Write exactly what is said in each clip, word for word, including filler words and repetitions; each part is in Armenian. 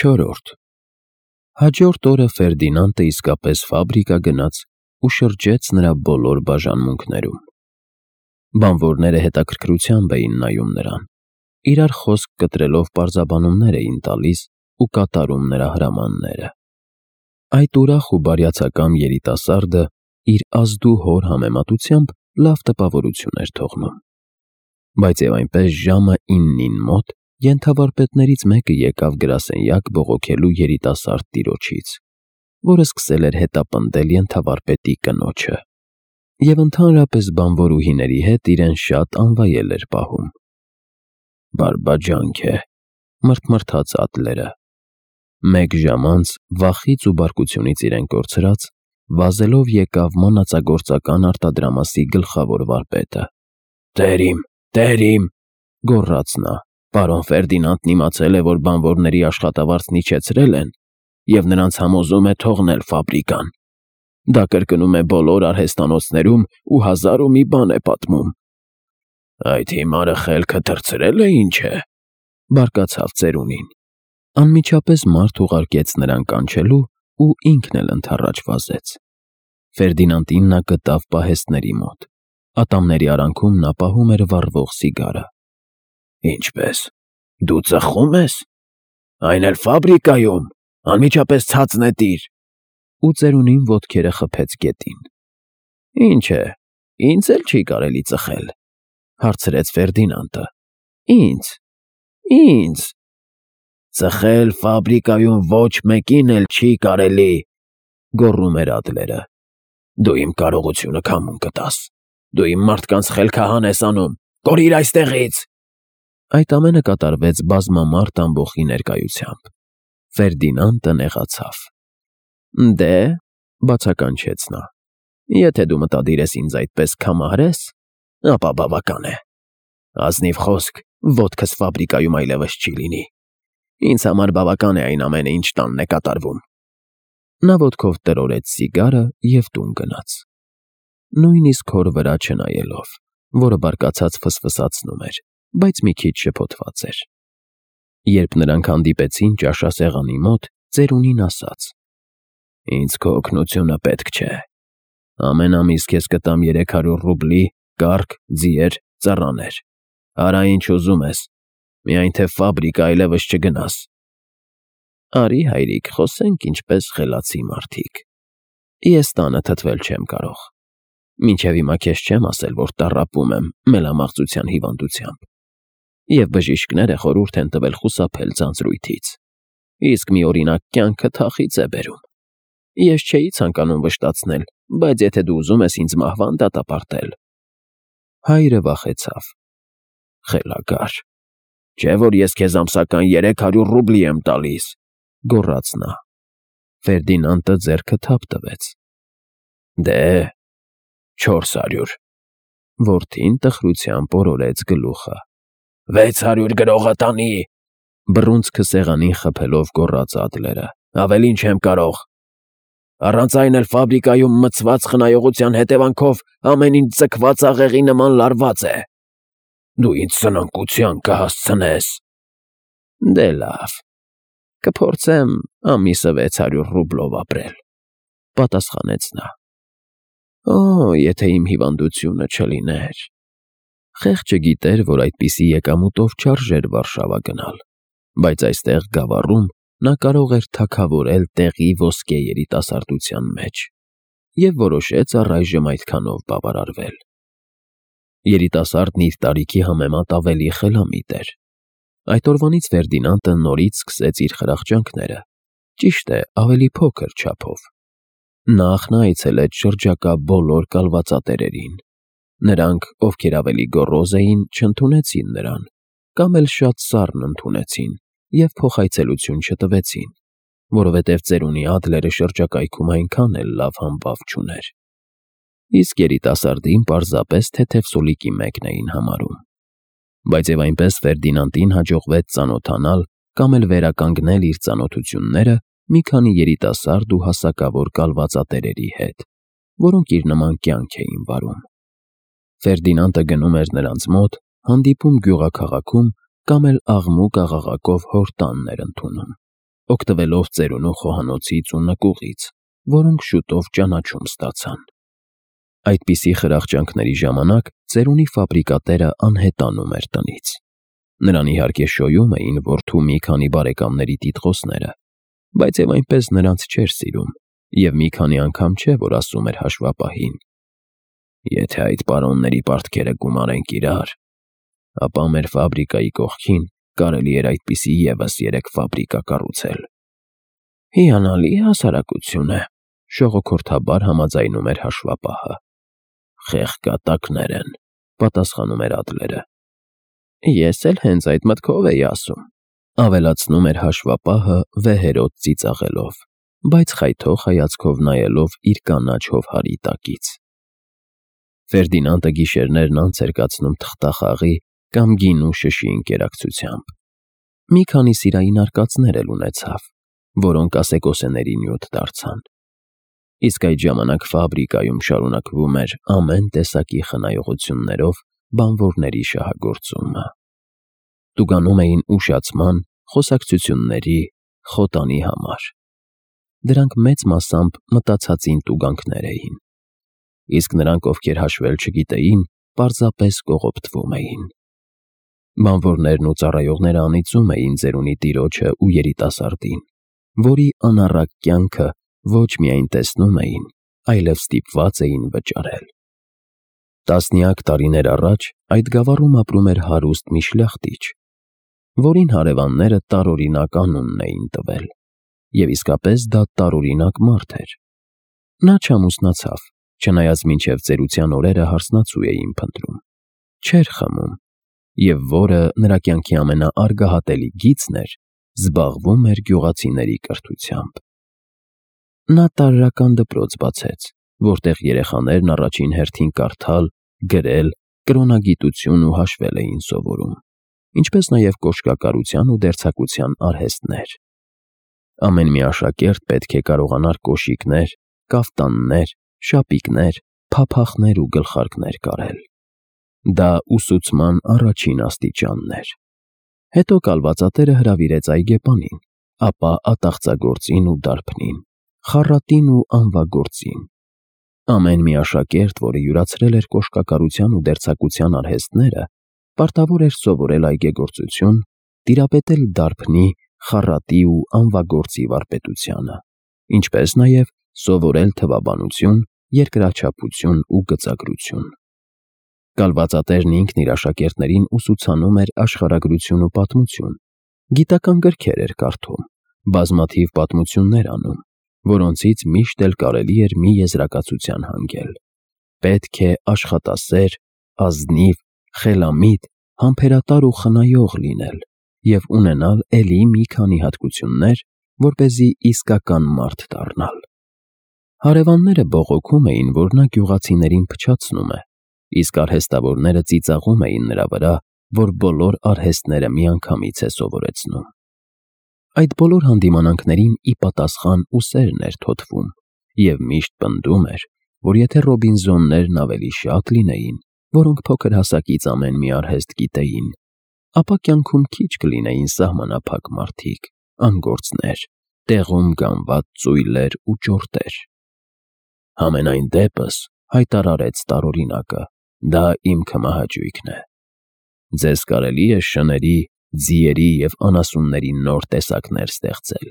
Չորրորդ Հաջորդ օրը Ֆերդինանդը իսկապես ֆաբրիկա գնաց ու շրջեց նրա բոլոր բաժանմունքներում։ Բանվորները հետաքրքրությամբ էին նայում նրան, իրար խոսք կտրելով պարզաբանումներ էին տալիս ու կատարում նրա հրամանները։ Այդ ուրախ ու բարյացակամ երիտասարդը իր ազդու հոր համեմատությամբ լավ տպավորություն էր թողնում։ Բայց և այնպես ժամը իննին մոտ ենթավարպետներից մեկը եկավ գրասենյակ բողոքելու երիտասարդ տիրոջից, որը սկսել էր հետապնդել ենթավարպետի կնոջը, և ընդհանրապես բանվորուհիների հետ իրեն շատ անվայել էր պահում։ «Բարբաջանք է», մռթմռթաց Ադլերը։ Մեկ ժամ անց, վախից ու բարկությունից իրեն կորցրած, վազելով եկավ մանածագործական արտադրամասի գլխավոր վարպետը։ «Տեր իմ, տեր իմ», գոռաց նա, «պարոն Ֆերդինանդն իմացել է, որ բանվորների աշխատավարձն իջեցրել են և նրանց համոզում է թողնել ֆաբրիկան։ Դա կրկնում է բոլոր արհեստանոցներում ու հազար ու մի բան է պատմում»։ «Այդ հիմարը խելքը թռցրել է, ինչ է», բարկացավ ծերունին։ Անմիջապես մարդ ուղարկեց նրան կանչելու ու ինքն էլ ընդառաջ վազեց։ Ֆերդինանդին նա գտավ պահեստների մոտ։ Ատամների արանքում նա պահում էր վառվող սիգարը։ «Ինչպե՞ս, դու ծխո՞ւմ ես, այն էլ ֆաբրիկայում, անմիջապես ցած նետիր», ու ծերունին ոտքերը խփեց գետին։ «Ինչ է, ինձ էլ չի կարելի ծխել», հարցրեց Ֆերդինանդը։ «Ինձ, ինձ… Ծխել ֆաբրիկայում ոչ մեկին էլ չի կարելի», գոռում էր Ադլերը։ «Դու իմ կարողությունը քամուն կտաս, դու իմ մարդկանց խելքահան ես անում, կորիր այստեղից»։ Այդ ամենը կատարվեց բազմամարդ ամբոխի ներկայությամբ։ Ֆերդինանդը նեղացավ։ «Դե,» բացականչեց նա, «եթե դու մտադիր ես ինձ այդպես քամարես, ապա բավական է։ Ազնիվ խոսք, ոտքս ֆաբրիկայում այլևս չի լինի։ Ինձ համար բավական է այն ամենը, ինչ տանն է կատարվում»։ Նա ոտքով տրորեց սիգարը և տուն գնաց, նույնիսկ հոր վրա չնայելով, որը բարկացած ֆսֆսացնում էր, բայց մի քիչ շփոթված էր։ Երբ նրանք հանդիպեցին ճաշասեղանի մոտ, ծերունին ասաց. «Ինձ քո օգնությունը պետք չէ։ Ամեն ամիս քեզ կտամ երեք հարյուր ռուբլի, կառք, ձիեր, ծառաներ։ Արա ինչ ուզում ես, միայն թե ֆաբրիկա այլևս չգնաս»։ «Արի, հայրիկ, խոսենք ինչպես խելացի մարդիկ։ Ես տանը թթվել չեմ կարող։ Մինչև հիմա քեզ չեմ ասել, որ տառապում եմ մելամաղձության հիվանդությամբ, և բժիշկները խորհուրդ են տվել խուսափել ձանձրույթից, իսկ մի օրինակ կյանքը թախիծ է բերում։ Ես չէի ցանկանում վշտացնել, բայց եթե դու ուզում ես ինձ մահվան դատապարտել…» Հայրը վախեցավ։ «Խելագար, չէ՞ որ ես քեզ ամսական երեք հարյուր ռուբլի եմ տալիս», գոռաց նա։ Ֆերդինանդը ձեռքը թափ տվեց։ «Դե, չորս հարյուր»։ Որդին տխրությամբ օրորեց գլուխը։ «Վեց հարյուր գրողը տանի», բռունցքը սեղանին խփելով գոռաց Ադլերը։ «Ավելին չեմ կարող։ Առանց այն էլ ֆաբրիկայում մցված խնայողության հետևանքով ամեն ինչ ձգված աղեղի նման լարված է։ Դու ինձ սնանկության կհասցնես»։ «Դե լավ, կփորձեմ ամիսը վեց հարյուր ռուբլով ապրել», պատասխանեց նա։ Օ, եթե իմ հիվանդությունը չլիներ… Խեղճը գիտեր, որ այդպիսի եկամուտով չարժեր Վարշավա գնալ, բայց այստեղ գավառում նա կարող էր թագավորել տեղի ոսկե երիտասարդության մեջ, և որոշեց առայժմ այդքանով բավարարվել։ Երիտասարդն իր տարիքի համեմատ ավելի խելամիտ էր։ Այդ օրվանից Ֆերդինանդը նորից սկսեց իր խրախճանքները, ճիշտ է, ավելի փոքր չափով։ Նախ նա այցելեց շրջակա բոլոր կալվածատերերին։ Նրանք, ովքեր ավելի գոռոզ էին, չընդունեցին նրան, կամ էլ շատ սառն ընդունեցին և փոխայցելություն չտվեցին, որովհետև ծերունի Ադլերը շրջակայքում այնքան էլ լավ համբավ չուներ։ Իսկ երիտասարդին պարզապես թեթև սոլիկի մեկն էին համարում։ Բայց և այնպես Ֆերդինանդին հաջողվեց ծանոթանալ կամ էլ վերականգնել իր ծանոթությունները մի քանի երիտասարդ ու հասակավոր կալվածատերերի հետ, որոնք իր նման կյանք էին վարում։ Ֆերդինանդը գնում էր նրանց մոտ, հանդիպում գյուղաքաղաքում կամ էլ աղմուկ աղաղակով հոր տանն էր ընդունում, օգտվելով ծերունու խոհանոցից ու նկուղից, որոնք շուտով ճանաչում ստացան։ Այդպիսի խրախճանքների ժամանակ ծերունի ֆաբրիկատերը անհետանում էր տնից։ Նրան իհարկե շոյում էին որդու մի քանի բարեկամների տիտղոսները, բայց և այնպես նրանց չէր սիրում, և մի քանի անգամ չէ, որ ասում էր հաշվապահին. «Եթե այդ պարոնների պարտքերը գումարենք իրար, ապա մեր ֆաբրիկայի կողքին կարելի էր այդպիսի ևս երեք ֆաբրիկա կառուցել»։ «Հիանալի հասարակություն է», շողոքորթաբար համաձայնում էր հաշվապահը։ «Խեղճակատներ են», պատասխանում էր Ադլերը։ «Ես էլ հենց այդ մտքով էի ասում», ավելացնում էր հաշվապահը վեհերոտ ծիծաղելով, բայց խայթող հայացքով նայելով իր կանաչ հովհարի տակից։ Ֆերդինանդը գիշերներն անց էր կացնում թղթախաղի կամ գինու շշի ընկերակցությամբ։ Մի քանի սիրային արկածներ էլ ունեցավ, որոնք ասեկոսեների նյութ դարձան։ Իսկ այդ ժամանակ ֆաբրիկայում շարունակվում էր ամեն տեսակի խնայողություններով բանվորների շահագործումը։ Տուգանում էին ուշացման, խոսակցությունների, խոտանի համար։ Դրանք մեծ մասամբ մտածածին տուգանքներ էին, իսկ նրանք, ովքեր հաշվել չգիտեին, պարզապես կողոպտվում էին։ Բանվորներն ու ծառայողները անիծում էին ծերունի տիրոջը ու երիտասարդին, որի անառակ կյանքը ոչ միայն տեսնում էին, այլև ստիպված էին վճարել։ Տասնյակ տարիներ առաջ այդ գավառում ապրում էր հարուստ մի շլյախտիչ, որին հարևանները տարօրինակ անուն էին տվել, և իսկապես դա տարօրինակ մարդ էր։ Նա չամուսնացավ, չնայած մինչև ծերության օրերը հարսնացու էին փնտրում, չէր խմում, և որը նրա կյանքի ամենաարգահատելի գիծն էր, զբաղվում էր գյուղացիների կրթությամբ։ Նա տարրական դպրոց բացեց, որտեղ երեխաներն առաջին հերթին կարդալ, գրել, կրոնագիտություն ու հաշվել էին սովորում, ինչպես նաև կոշկակարության ու դերձակության արհեստներ։ Ամեն մի աշակերտ պետք է կարողանար կոշիկներ, կաֆտաններ, շապիկներ, փափախներ ու գլխարկներ կարել։ Դա ուսուցման առաջին աստիճանն էր։ Հետո կալվածատերը հրավիրեց այգեպանին, ապա ատաղծագործին ու դարբնին, խառատին ու անվագործին։ Ամեն մի աշակերտ, որը յուրացրել էր կոշկակարության ու դերձակության արհեստները, պարտավոր էր սովորել այգեգործություն, տիրապետել դարբնի, խառատի ու անվագործի վարպետությանը, ինչպես նաև սովորել թվաբանություն, երկրաչափություն ու գծագրություն։ Կալվածատերն ինքն իր աշակերտներին ուսուցանում էր աշխարհագրություն ու պատմություն, գիտական գրքեր էր կարդում, բազմաթիվ պատմություններ անում, որոնցից միշտ էլ կարելի էր մի եզրակացության հանգել. պետք է աշխատասեր, ազնիվ, խելամիտ, համբերատար ու խնայող լինել և ունենալ էլի մի քանի հատկություններ, որպեսզի իսկական մարդ դառնալ։ Հարևանները բողոքում էին, որ նա գյուղացիներին փչացնում է, իսկ արհեստավորները ծիծաղում էին նրա վրա, որ բոլոր արհեստները միանգամից է սովորեցնում։ Այդ բոլոր հանդիմանանքներին ի պատասխան ուսերն էր թոթվում և միշտ պնդում էր, որ եթե Ռոբինզոններն ավելի շատ լինեին, որոնք փոքր հասակից ամեն մի արհեստ գիտեին, ապա կյանքում քիչ կլինեին սահմանափակ մարդիկ, անգործներ, տեղում գանված ծույլեր ու ճորտեր։ Համենայն դեպս, հայտարարեց տարօրինակը, դա իմ քմահաճույքն է։ Ձեզ կարելի է շների, ձիերի և անասունների նոր տեսակներ ստեղծել,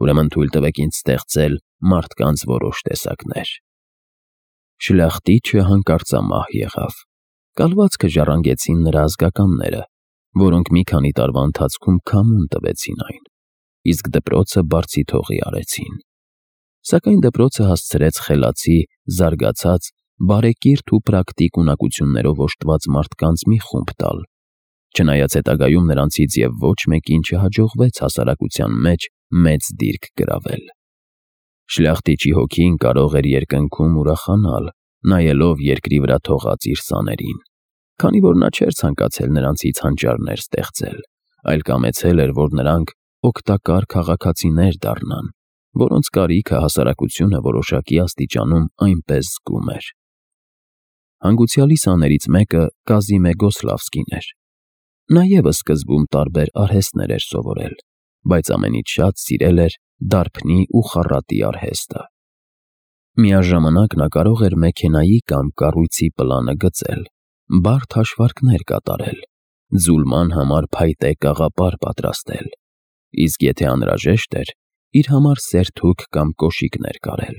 ուրեմն թույլ տվեք ինձ ստեղծել մարդկանց որոշ տեսակներ։ Շլյախտիչը հանկարծամահ եղավ։ Կալվածքը ժառանգեցին նրա ազգականները, որոնք մի քանի տարվա ընթացքում քամուն տվեցին այն, իսկ դպրոցը բարձիթողի արեցին։ Սակայն դպրոցը հասցրեց խելացի, զարգացած, բարեկիրթ ու պրակտիկ ունակություններով օժտված մարդկանց մի խումբ տալ, չնայած հետագայում նրանցից և ոչ մեկին չհաջողվեց հասարակության մեջ մեծ դիրք գրավել։ Շլյախտիչի հոգին կարող էր երկնքում ուրախանալ, նայելով երկրի վրա թողած իր սաներին, քանի որ նա չէր ցանկացել նրանցից հանճարներ ստեղծել, այլ կամեցել էր, որ նրանք օգտակար քաղաքացիներ դառնան, որոնց կարիքը հասարակությունը որոշակի աստիճանում այնպես զգում էր։ Հանգուցյալի սաներից մեկը Կազիմե Գոսլավսկին էր։ Նա ևս սկզբում տարբեր արհեստներ էր սովորել, բայց ամենից շատ սիրել էր դարբնի ու խառատի արհեստը։ Միաժամանակ նա կարող էր մեքենայի կամ կառույցի պլանը գծել, բարդ հաշվարկներ կատարել, ձուլման համար փայտե կաղապար պատրաստել, իսկ եթե անհրաժեշտ էր, իր համար սերթուք կամ կոշիկներ կարել։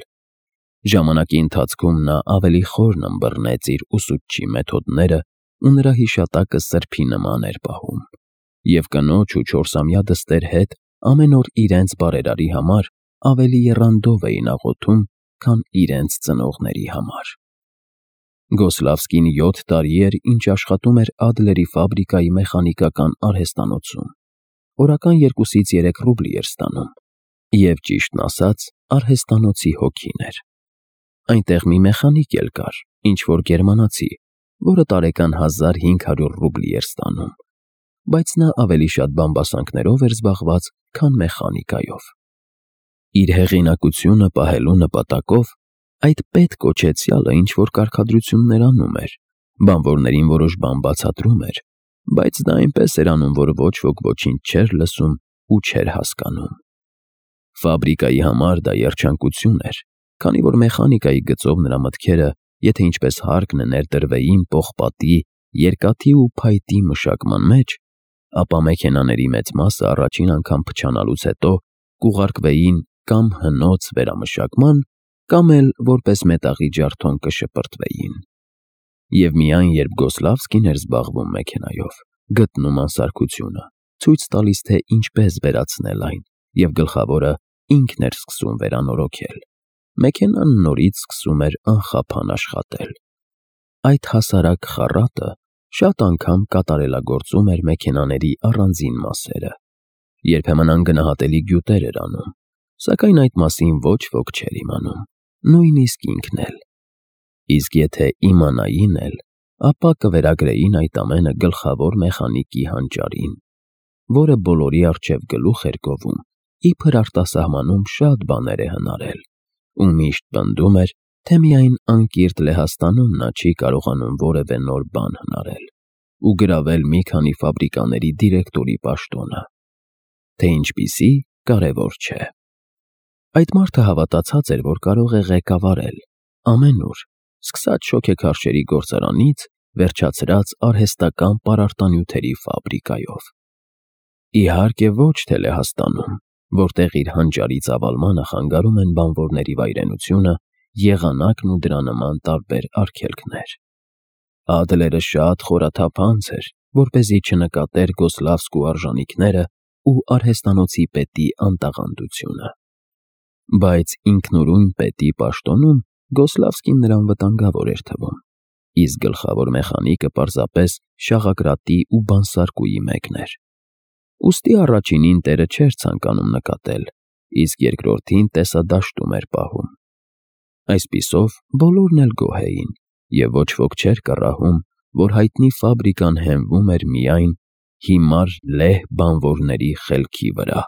Ժամանակի ընթացքում նա ավելի խորն ըմբռնեց իր ուսուցչի մեթոդները ու նրա հիշատակը սրբի նման էր պահում, և կնոջ ու չորսամյա դստեր հետ ամեն օր իրենց բարերարի համար ավելի եռանդով էին աղոթում, քան իրենց ծնողների համար։ Գոսլավսկին յոթ տարի էր, ինչ աշխատում էր Ադլերի ֆաբրիկայի մեխանիկական արհեստանոցում, օրական երկուսից երեք ռուբլի էր ստանում, և ճիշտն ասած, արհեստանոցի հոգին էր։ Այնտեղ մի մեխանիկ էլ կար, ինչ-որ գերմանացի, որը տարեկան հազար հինգ հարյուր ռուբլի էր ստանում, բայց նա ավելի շատ բամբասանքներով էր զբաղված, քան մեխանիկայով։ Իր հեղինակությունը պահելու նպատակով այդ պետ կոչեցյալը ինչ-որ կարգադրություններ անում էր, բանվորներին որոշ բան բացատրում էր, բայց դա այնպես էր անում, որ ոչ ոք ոչինչ չէր լսում ու չէր հասկանում։ Ֆաբրիկայի համար դա երջանկություն էր, քանի որ մեխանիկայի գծով նրա մտքերը, եթե ինչպես հարկն է ներդրվեին պողպատի, երկաթի ու փայտի մշակման մեջ, ապա մեքենաների մեծ մասը առաջին անգամ փչանալուց հետո կուղարկվեին կամ հնոց վերամշակման, կամ էլ որպես մետաղի ջարդոն կշպրտվեին։ Եվ միայն երբ Գոսլավսկին էր զբաղվում մեքենայով, գտնում անսարքությունը, ցույց տալիս, թե ինչպես վերացնել այն, և գլխավորը ինքն էր սկսում վերանորոգել, մեքենան նորից սկսում էր անխափան աշխատել։ Այդ հասարակ խառատը շատ անգամ կատարելագործում էր մեքենաների առանձին մասերը, երբեմն անգնահատելի գյուտեր էր անում, սակայն այդ մասին ոչ ոք չէր իմանում, նույնիսկ ինքն էլ։ Իսկ եթե իմանային էլ, ապա կվերագրեին այդ ամենը գլխավոր մեխանիկի հանճարին, որը բոլորի առջև գլուխ էր գովում, իբր արտասահմանում շատ բաներ է հնարել, ու միշտ պնդում էր, թե միայն անկիրթ Լեհաստանում նա չի կարողանում որևէ նոր բան հնարել ու գրավել մի քանի ֆաբրիկաների դիրեկտորի պաշտոնը, թե ինչպիսի կարևոր չէ։ Այդ մարդը հավատացած էր, որ կարող է ղեկավարել ամենուր, սկսած շոգեքարշերի գործարանից, վերջացրած արհեստական պարարտանյութերի ֆաբրիկայով։ Իհարկե ոչ թե Լեհաստանում, որտեղ իր հանճարի ծավալմանը խանգարում են բանվորների վայրենությունը, եղանակն ու դրա նման տարբեր արգելքներ։ Ադլերը շատ խորաթափ անձ էր, որպեսզի չնկատեր Գոսլավսկու արժանիքները ու արհեստանոցի պետի անտաղանդությունը։ Բայց ինքնուրույն պետի պաշտոնում Գոսլավսկին նրան վտանգավոր էր թվում, իսկ գլխավոր մեխանիկը պարզապես շաղակրատի ու բանսարկուի մեկն էր։ Ուստի առաջինին տերը չէր ցանկանում նկատել, իսկ երկրորդին տեսադաշտում էր պահում։ Այսպիսով բոլորն էլ գոհ էին, և ոչ ոք չէր կռահում, որ հայտնի ֆաբրիկան հենվում էր միայն հիմար լեհ բանվորների խելքի վրա։